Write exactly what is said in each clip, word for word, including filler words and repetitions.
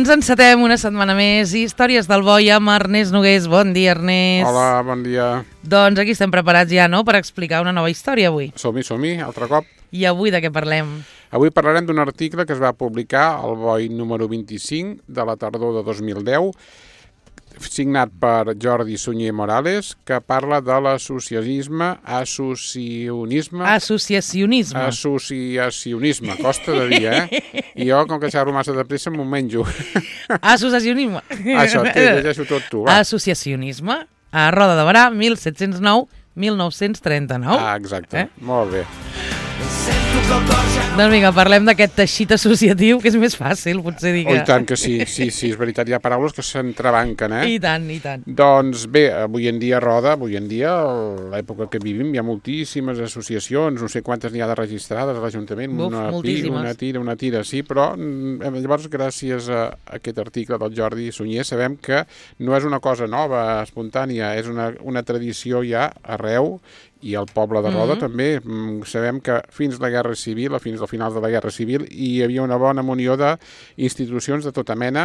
Ens encetem una setmana més. Històries del Boi amb Ernest Nogués. Bon dia, Ernest. Hola, bon dia. Doncs aquí estem preparats ja, no?, per explicar una nova història avui. Som-hi, som-hi, altre cop. I avui de què parlem? Avui parlarem d'un article que es va publicar al Boi número vint-i-cinc de la tardor de dos mil deu, signat per Jordi Sunyer Morales, que parla de l'associacionisme, associacionisme... Associacionisme. Associacionisme, costa de dir, eh? I jo, com que xerro massa de pressa, m'ho menjo. Associacionisme. Això, té, llegeixo tot tu, va. Associacionisme, a Roda de Berà, mil set-cents nou a mil nou-cents trenta-nou. Ah, exacte, eh? Molt bé. Doncs vinga, parlem d'aquest teixit associatiu, que és més fàcil, potser dir que... Oh, i tant que sí, sí, sí, és veritat, hi ha paraules que s'entrebanquen, eh? I tant, i tant. Doncs bé, avui en dia, Roda, avui en dia, a l'època que vivim, hi ha moltíssimes associacions, no sé quantes n'hi ha de registrades a l'Ajuntament, Uf, una moltíssimes. pi, una tira, una tira, sí, però llavors, gràcies a aquest article del Jordi Sunyer, sabem que no és una cosa nova, espontània, és una, una tradició ja arreu, i el poble de Roda mm-hmm. també. Sabem que fins la Guerra Civil, o fins al final de la Guerra Civil, hi havia una bona munió d'institucions de tota mena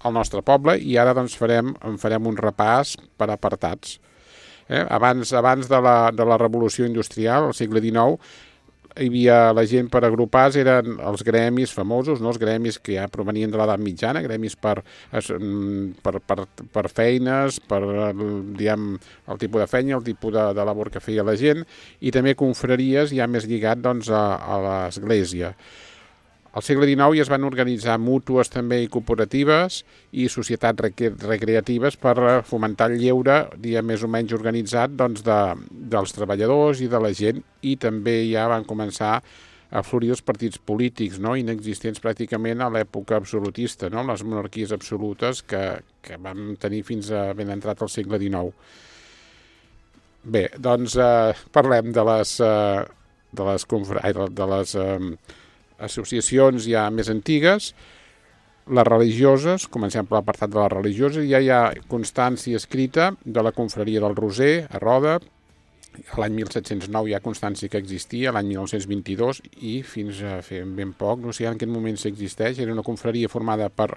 al nostre poble, i ara doncs farem, en farem un repàs per apartats. Eh? Abans, abans de, la, de la Revolució Industrial, al segle dinou, hi havia la gent per agrupar, eren els gremis famosos, no? Els gremis que ja provenien de l'edat mitjana, gremis per, per, per, per feines, per diguem, el tipus de feina, el tipus de, de labor que feia la gent, i també confraries ja més lligat doncs, a, a l'església. Al segle dinou ja es van organitzar mútues també i cooperatives i societats recreatives per fomentar el lleure, dia més o menys organitzat, doncs, de, dels treballadors i de la gent, i també ja van començar a florir els partits polítics, no?, inexistents pràcticament a l'època absolutista, no?, les monarquies absolutes que, que vam tenir fins a ben entrat al segle dinou. Bé, doncs eh, parlem de les, eh, de les, de les eh, associacions ja més antigues, les religioses. Comencem per l'apartat de les religioses. Ja hi ha constància escrita de la confraria del Roser a Roda. A l'any mil set-cents nou hi ha constància que existia, l'any mil nou-cents vint-i-dos, i fins a fer ben poc, no sé en quin moment s'existeix, era una confraria formada per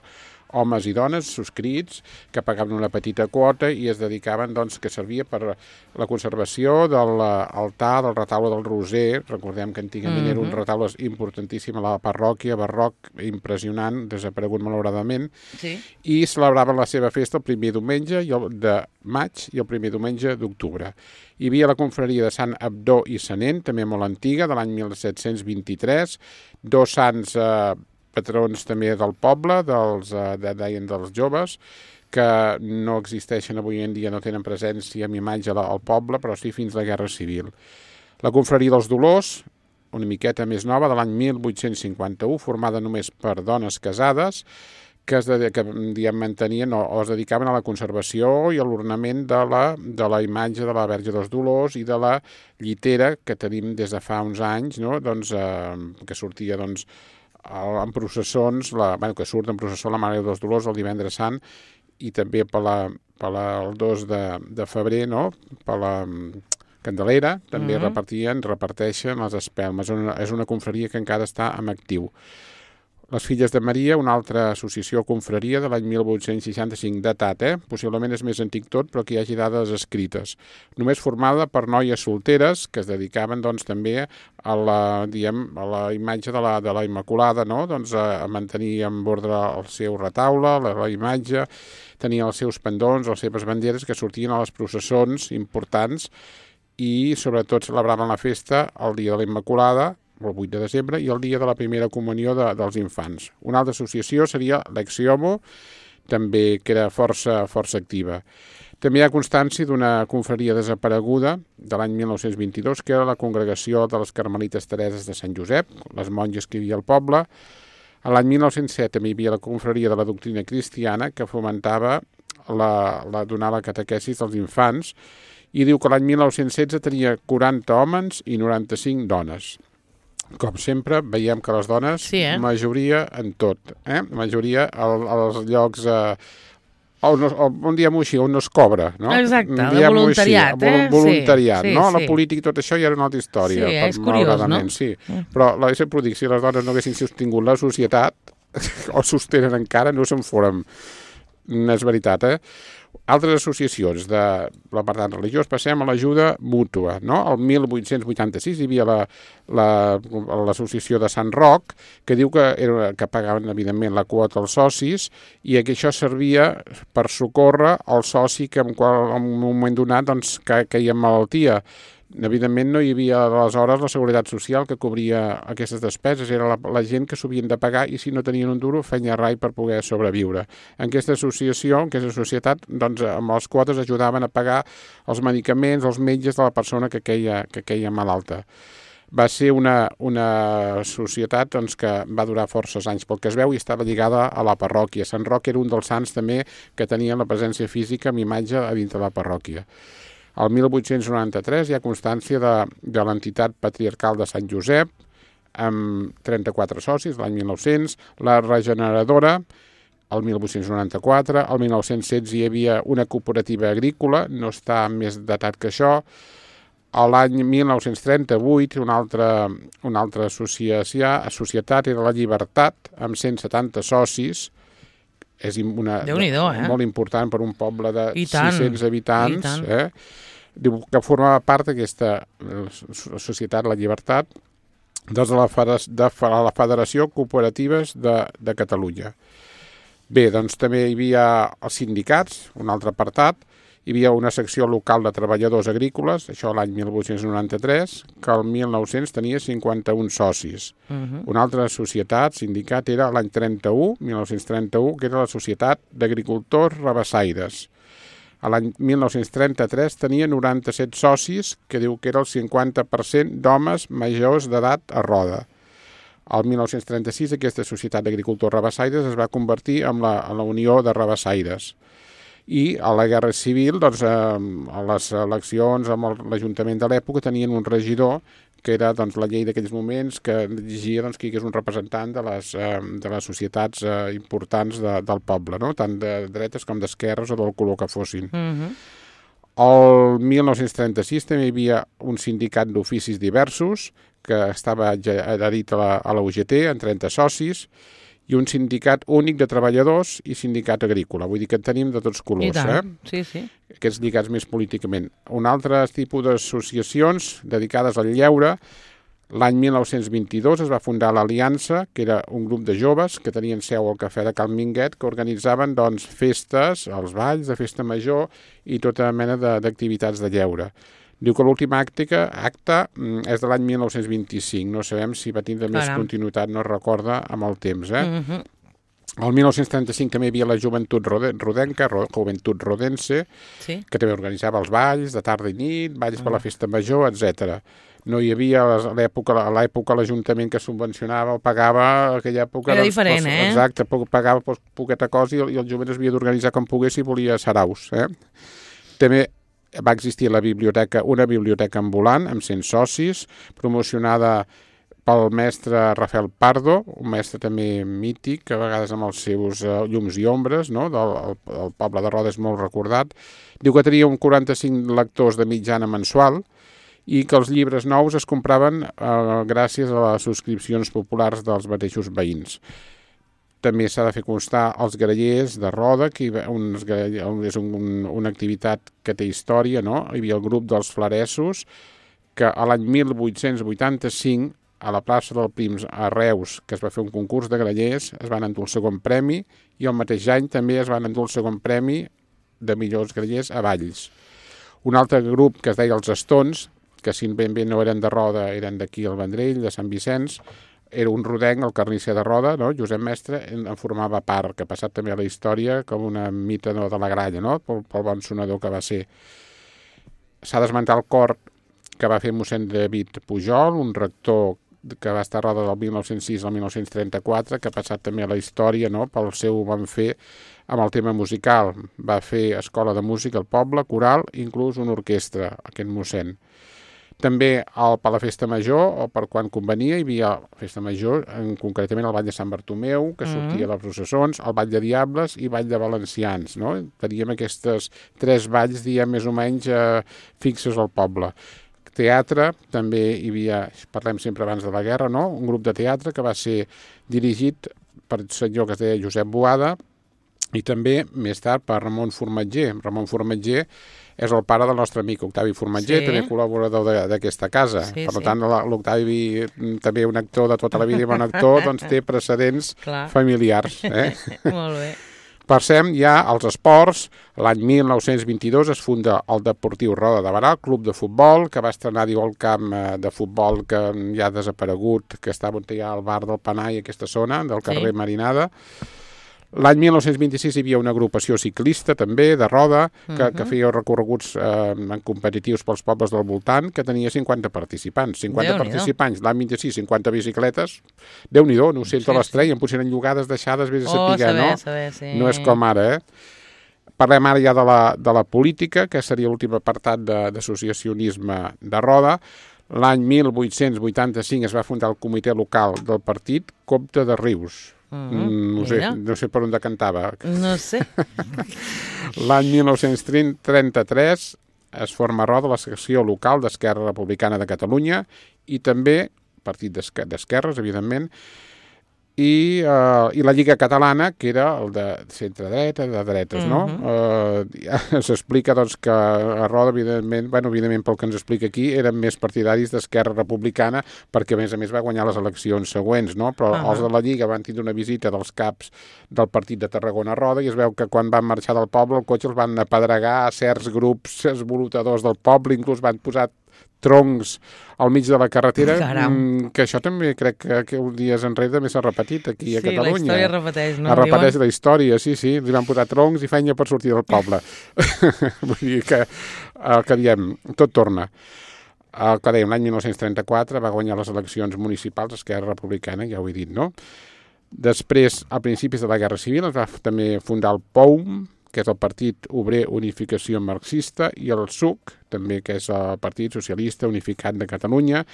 homes i dones subscrits que pagaven una petita quota i es dedicaven, doncs, que servia per la conservació de l'altar del retaule del Roser. Recordem que antigament mm-hmm. era un retaule importantíssim a la parròquia, barroc, impressionant, desaparegut malauradament, sí. I celebraven la seva festa el primer diumenge de maig i el primer diumenge d'octubre. Hi havia la confraria de Sant Abdó i Sanent, també molt antiga, de l'any mil set-cents vint-i-tres, dos sants eh, patrons també del poble, dels, eh, de, deien dels joves, que no existeixen avui en dia, no tenen presència amb imatge al poble, però sí fins a la Guerra Civil. La confraria dels Dolors, una miqueta més nova, de l'any mil vuit-cents cinquanta-u, formada només per dones casades, que es de, que diguem, mantenien o, o es dedicaven a la conservació i a l'ornament de la, de la imatge de la Verge dels Dolors i de la llitera que tenim des de fa uns anys, no? Doncs, eh, que sortia, doncs, en processons, la, bueno, que surt en processó la Mare dels Dolors el divendres sant, i també per la, per la, el dos de, de febrer, no?, per la Candelera, també mm-hmm. repartien, reparteixen les espelmes. És una, és una confraria que encara està en actiu. Les Filles de Maria, una altra associació o confraria de l'any mil vuit-cents seixanta-cinc, datat, eh? Possiblement és més antic tot, però que hi hagi dades escrites. Només formada per noies solteres que es dedicaven, doncs, també a la, diguem, a la imatge de la, de la Immaculada, no?, doncs, a, a mantenir en ordre el seu retaule, la, la imatge, tenien els seus pendons, les seves banderes que sortien a les processons importants, i sobretot celebraven la festa el dia de la Immaculada, el vuit de desembre, i el dia de la primera comunió de, dels infants. Una altra associació seria l'Exiomo, també que era força, força activa. També hi ha constància d'una confraria desapareguda de l'any mil nou-cents vint-i-dos, que era la Congregació de les Carmelites Tereses de Sant Josep, les monges que hi havia al poble. A l'any mil nou-cents set també hi havia la confraria de la doctrina cristiana, que fomentava la, la, donar la catequesis als infants, i diu que l'any mil nou-cents setze tenia quaranta homes i noranta-cinc dones. Com sempre, veiem que les dones, sí, eh? majoria en tot, eh? majoria al, als llocs, eh, on, on diem així, on no es cobra, no? Exacte, de voluntariat, així, eh? Voluntariat, sí, no? Sí, la política i tot això ja era una altra història. Sí, és curiós, no? Sí. Però la sempre ho dic, si les dones no haguessin sostingut la societat, o sostenen encara, no se'n foren. És veritat, eh? Altres associacions de l'apartat religiós, passem a l'ajuda mútua, no? El mil vuit-cents vuitanta-sis hi havia l'associació la, la, de Sant Roc, que diu que, era, que pagaven, evidentment, la quota als socis i que això servia per socórrer el soci que en, qual, en un moment donat doncs, que queia en malaltia. Evidentment no hi havia aleshores la Seguretat Social que cobria aquestes despeses, era la, la gent que s'havien de pagar i si no tenien un duro feien rai per poder sobreviure. En aquesta associació, en aquesta societat, doncs amb les quotes ajudaven a pagar els medicaments, els metges de la persona que queia, que queia malalta. Va ser una, una societat doncs, que va durar forces anys, pel que es veu, i estava lligada a la parròquia. Sant Roc era un dels sants també que tenien la presència física amb imatge a dintre de la parròquia. El mil vuit-cents noranta-tres hi ha constància de, de l'entitat patriarcal de Sant Josep, amb trenta-quatre socis, l'any mil nou-cents, la regeneradora, el mil vuit-cents noranta-quatre, el mil nou-cents setze hi havia una cooperativa agrícola, no està més datat que això, l'any mil nou-cents trenta-vuit una altra, una altra associació, societat era la Llibertat, amb cent setanta socis, és una, eh? molt important per un poble de I tant, sis-cents habitants. Eh? Diu que formava part d'aquesta societat, la Llibertat, de la, de la Federació Cooperatives de, de Catalunya. Bé, doncs també hi havia els sindicats, un altre apartat, hi havia una secció local de treballadors agrícoles, això l'any mil vuit-cents noranta-tres, que el mil nou-cents tenia cinquanta-un socis. Uh-huh. Una altra societat, sindicat, era l'any trenta-u, mil nou-cents trenta-u, que era la Societat d'Agricultors Rabassaires. A l'any mil nou-cents trenta-tres tenia noranta-set socis, que diu que era el cinquanta per cent d'homes majors d'edat a Roda. Al mil nou-cents trenta-sis aquesta Societat d'Agricultors Rabassaires es va convertir en la, en la Unió de Rabassaires. I a la Guerra Civil, doncs, eh, a les eleccions amb l'Ajuntament de l'època tenien un regidor que era doncs, la llei d'aquells moments que exigia doncs, que hi hagués un representant de les, eh, de les societats eh, importants de, del poble, no? Tant de dretes com d'esquerres o del color que fossin. Uh-huh. El mil nou-cents trenta-sis també hi havia un sindicat d'oficis diversos que estava adherit a la, a la U G T amb trenta socis, i un sindicat únic de treballadors i sindicat agrícola. Vull dir que en tenim de tots colors. I tant, eh? sí, sí. Aquests lligats més políticament. Un altre tipus d'associacions dedicades al lleure, l'any mil nou-cents vint-i-dos es va fundar l'Aliança, que era un grup de joves que tenien seu al Cafè de Cal Minguet, que organitzaven doncs, festes, els balls de festa major i tota mena d'activitats de, de lleure. Diu que l'últim acte, acte és de l'any mil nou-cents vint-i-cinc. No sabem si va tindre més continuïtat, no es recorda, amb el temps. Eh? Uh-huh. El mil nou-cents trenta-cinc també hi havia la Joventut Rodenca, Joventut Rodense, sí, que també organitzava els balls de tarda i nit, balls uh-huh. per la festa major, etcètera. No hi havia a l'època a l'època l'Ajuntament que subvencionava o pagava a aquella època... Era doncs, diferent, doncs, eh? Exacte, pagava doncs, poqueta cosa i, i el jovent es havia d'organitzar com pogués si volia saraus. Eh? També va existir la biblioteca, una biblioteca ambulant amb cent socis, promocionada pel mestre Rafael Pardo, un mestre també mític, que a vegades amb els seus uh, llums i ombres, no? del el, el poble de Roda és molt recordat. Diu que tenia un quaranta-cinc lectors de mitjana mensual i que els llibres nous es compraven uh, gràcies a les subscripcions populars dels mateixos veïns. També s'ha de fer constar els grallers de Roda, que uns, és un, un, una activitat que té història, no? Hi havia el grup dels Flaressos, que a l'any mil vuit-cents vuitanta-cinc, a la plaça del Prims, a Reus, que es va fer un concurs de grallers, es van endur el segon premi, i el mateix any també es van endur el segon premi de millors grallers a Valls. Un altre grup que es deia els Estons, que si ben bé no eren de Roda, eren d'aquí al Vendrell, de Sant Vicenç, era un rodenc, el carnisser de Roda, no? Josep Mestre, en formava part, que ha passat també a la història com una mita no, de la gralla, no? pel, pel bon sonador que va ser. S'ha d'esmentar el cor que va fer mossèn David Pujol, un rector que va estar a Roda del mil nou-cents sis al mil nou-cents trenta-quatre, que ha passat també a la història no? pel seu bon fer amb el tema musical. Va fer escola de música al poble, coral, inclús una orquestra, aquest mossèn. També al per la festa major, o per quan convenia, hi havia festa major, en, concretament el ball de Sant Bartomeu, que sortia mm. a les processons, el ball de Diables i ball de Valencians. No? Teníem aquestes tres balls, diem, més o menys eh, fixes al poble. Teatre, també hi havia, parlem sempre abans de la guerra, no? Un grup de teatre que va ser dirigit per senyor que es deia Josep Boada, i també, més tard, per Ramon Formatger. Ramon Formatger és el pare del nostre amic Octavi Formatger, sí. també col·laborador d'aquesta casa. Sí, per sí. tant, l'Octavi, també un actor de tota la vida i bon actor, doncs té precedents Clar. familiars. Eh? Molt bé. Passem ja als esports. L'any mil nou-cents vint-i-dos es funda el Deportiu Roda de Barà, club de futbol, que va estrenar, diu, el camp de futbol que ja ha desaparegut, que estava on hi ha el bar del Panai, aquesta zona, del carrer sí. Marinada. L'any mil nou-cents vint-i-sis hi havia una agrupació ciclista també, de roda, que, uh-huh. que feia recorreguts eh, en competitius pels pobles del voltant, que tenia cinquanta participants. cinquanta Déu participants, l'any vint-i-sis, cinquanta bicicletes. Déu-n'hi-do, no ho sé, sí, les treien, potser eren llogades, deixades, vés a oh, saber, saber, no? Saber, sí. No és com ara, eh? Parlem ara ja de la, de la política, que seria l'últim apartat d'associacionisme de, de roda. L'any mil vuit-cents vuitanta-cinc es va fundar el comitè local del partit Comte de Rius. Mm, no, sé, no sé per on decantava. No sé. L'any mil nou-cents trenta-tres es forma a Roda la secció local d'Esquerra Republicana de Catalunya i també, partit d'esquerres, evidentment, i, uh, i la Lliga Catalana, que era el de centre-dreta, de dretes, no? Uh-huh. uh, S'explica doncs, que a Roda, evidentment, bueno, evidentment pel que ens explica aquí, eren més partidaris d'Esquerra Republicana, perquè a més a més va guanyar les eleccions següents, no? Però uh-huh. els de la Lliga van tindre una visita dels caps del partit de Tarragona a Roda i es veu que quan van marxar del poble el cotxe els van apedregar a certs grups esvolutadors del poble, inclús van posar troncs al mig de la carretera, Caram. que això també crec que, que uns dies enrere també s'ha repetit aquí a sí, Catalunya. Sí, la història repeteix, no? Es repeteix la història, sí, sí. Li van posar troncs i feina per sortir del poble. Vull dir que el que diem, tot torna. El que dèiem, l'any mil nou-cents trenta-quatre va guanyar les eleccions municipals Esquerra Republicana, ja ho he dit, no? Després, a principis de la Guerra Civil, es va també fundar el P O U M, que és el Partit Obrer Unificació Marxista, i el S U C, també, que és el Partit Socialista Unificat de Catalunya,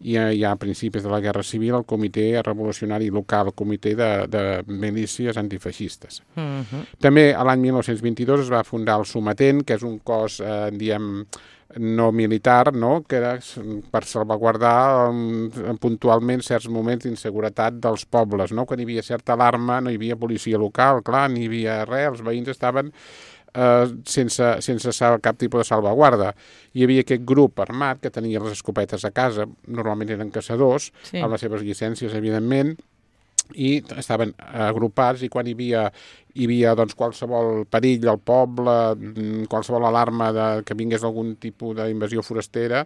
i ja a principis de la Guerra Civil el Comitè Revolucionari Local, el Comitè de, de Milícies Antifeixistes. Uh-huh. També l'any mil nou-cents vint-i-dos es va fundar el Sometent, que és un cos, eh, diem, no militar, no? Que era per salvaguardar um, puntualment certs moments d'inseguretat dels pobles, no? Quan hi havia certa alarma no hi havia policia local, clar, ni hi havia res, els veïns estaven eh, sense, sense cap tipus de salvaguarda. Hi havia aquest grup armat que tenia les escopetes a casa, normalment eren caçadors, sí. amb les seves llicències, evidentment, i estaven agrupats i quan hi havia, hi havia doncs, qualsevol perill al poble, qualsevol alarma de, que vingués algun tipus d'invasió forastera,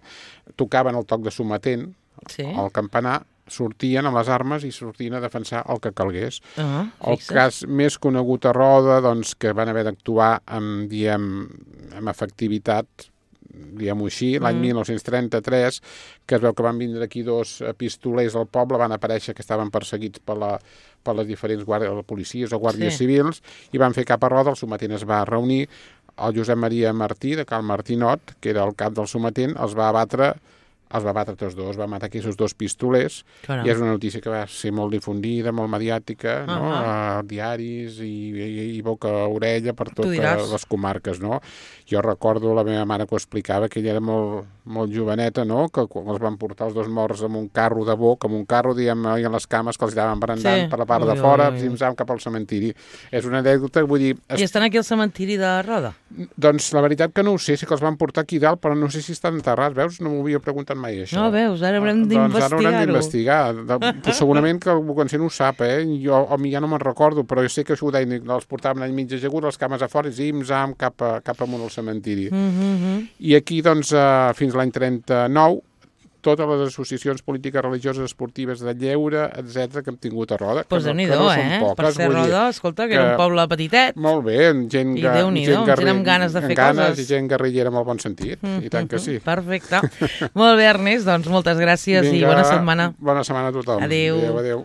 tocaven el toc de sometent sí. al campanar, sortien amb les armes i sortien a defensar el que calgués. Uh-huh, el cas més conegut a Roda, doncs, que van haver d'actuar amb, diem, amb efectivitat, diguem-ho així, l'any mm. mil nou-cents trenta-tres, que es veu que van vindre aquí dos pistolers al poble, van aparèixer que estaven perseguits per, la, per les diferents guàrdies, policies o guàrdies sí. civils, i van fer cap a Roda, el sometent es va reunir, el Josep Maria Martí, de Cal Martinot, que era el cap del sometent, els va abatre els va batre tots dos, va matar aquests dos pistolers, Caram. i és una notícia que va ser molt difundida, molt mediàtica, uh-huh. no? a diaris i, i, i boca-orella per totes les comarques, no? Jo recordo la meva mare que ho explicava, que ella era molt, molt joveneta, no? Que quan els van portar els dos morts amb un carro de boc, amb un carro, diguem, i en les cames que els anaven brandant sí. per la part ui, de fora, zim-zam cap al cementiri. És una anècdota, vull dir... Es... I estan aquí al cementiri de Roda? Doncs la veritat que no ho sé, sí que els van portar aquí dalt, però no sé si estan enterrats, veus? No m'ho havia preguntat mai, això. No, veus, ara haurem d'investigar-ho. Doncs ara haurem d'investigar. Segurament que algú no ho sap, eh? Jo o ja no me'n recordo, però jo sé que això ho deien, els portaven allà mig ajagut, les cames a fora, i zim-zam cap, a, cap amunt al cementiri. Mm-hmm. I aquí, doncs, uh, fins l'any trenta-nou, totes les associacions polítiques, religioses, esportives, de lleure, etcètera que hem tingut a Roda. Pues que, no, que no eh? són poques. Per ser Roda, escolta, que, que era un poble petitet. Molt bé, gent, I Déu-n'hi-do, gent, gent amb ganes de fer ganes, coses. I gent guerrillera amb el bon sentit, mm-hmm. i tant que sí. Perfecte. Molt bé, Ernest, doncs moltes gràcies Vinga, i bona setmana. Bona setmana a tothom. Adéu. Adéu, adéu.